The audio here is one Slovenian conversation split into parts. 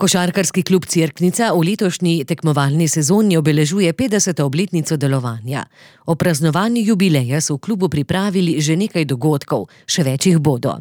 Košarkarski klub Cerknica v letošnji tekmovalni sezoni obeležuje 50. obletnico delovanja. O praznovanju jubileja so v klubu pripravili že nekaj dogodkov, še več jih bodo.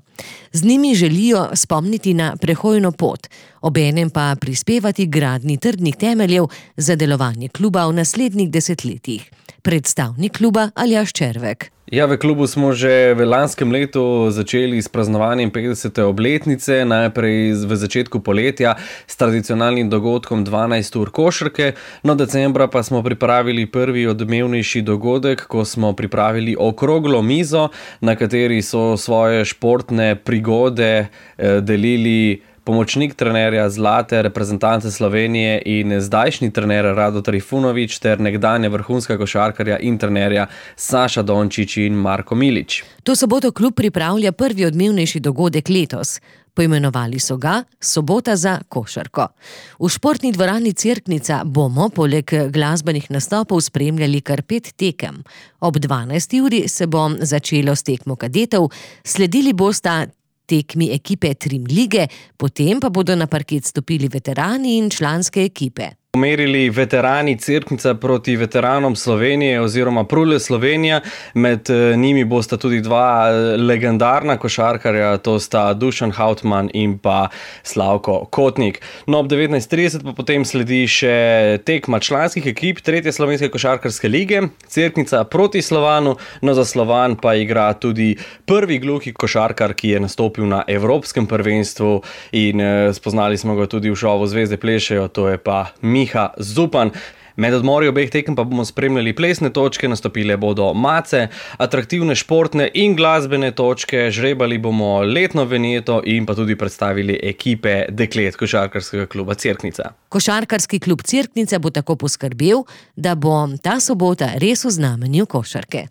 Z njimi želijo spomniti na prehojno pot, obenem pa prispevati gradnji trdnih temeljev za delovanje kluba v naslednjih desetletjih. Predstavnik kluba Aljaž Červek. Ja, v klubu smo že v lanskem letu začeli s praznovanjem 50. obletnice, najprej v začetku poletja s tradicionalnim dogodkom 12 ur košarke, no decembra pa smo pripravili prvi odmevnejši dogodek, ko smo pripravili okroglo mizo, na kateri so svoje športne prigode delili pomočnik trenerja zlate reprezentance Slovenije in zdajšnji trener Rado Trifunović ter nekdanja vrhunska košarkarja in trenerja Saša Dončić in Marko Milić. To soboto klub pripravlja prvi odmevnejši dogodek letos. Poimenovali so ga Sobota za košarko. V športni dvorani Cerknica bomo poleg glasbenih nastopov spremljali kar 5 tekem. Ob 12. uri se bo začelo s tekmo kadetov, sledili bosta tekmi ekipe Trim lige, potem pa bodo na parket stopili veterani in članske ekipe. Pomerili veterani Cerknica proti veteranom Slovenije oziroma Prule Slovenija. Med njimi bosta tudi dva legendarna košarkarja, to sta Dušan Hautman in pa Slavko Kotnik. No, ob 19:30 pa potem sledi še tekma članskih ekip tretje slovenske košarkarske lige, Cerknica proti Slovanu, no za Slovan pa igra tudi prvi gluhi košarkar, ki je nastopil na evropskem prvenstvu in spoznali smo ga tudi v šovu Zvezde plešejo, to je pa Miha Zupan. Med odmori obeh tekem pa bomo spremljali plesne točke, nastopile bodo mace, atraktivne športne in glasbene točke, žrebali bomo letno vinjeto in pa tudi predstavili ekipe deklet košarkarskega kluba Cerknica. Košarkarski klub Cerknica bo tako poskrbel, da bo ta sobota res v znamenju košarke.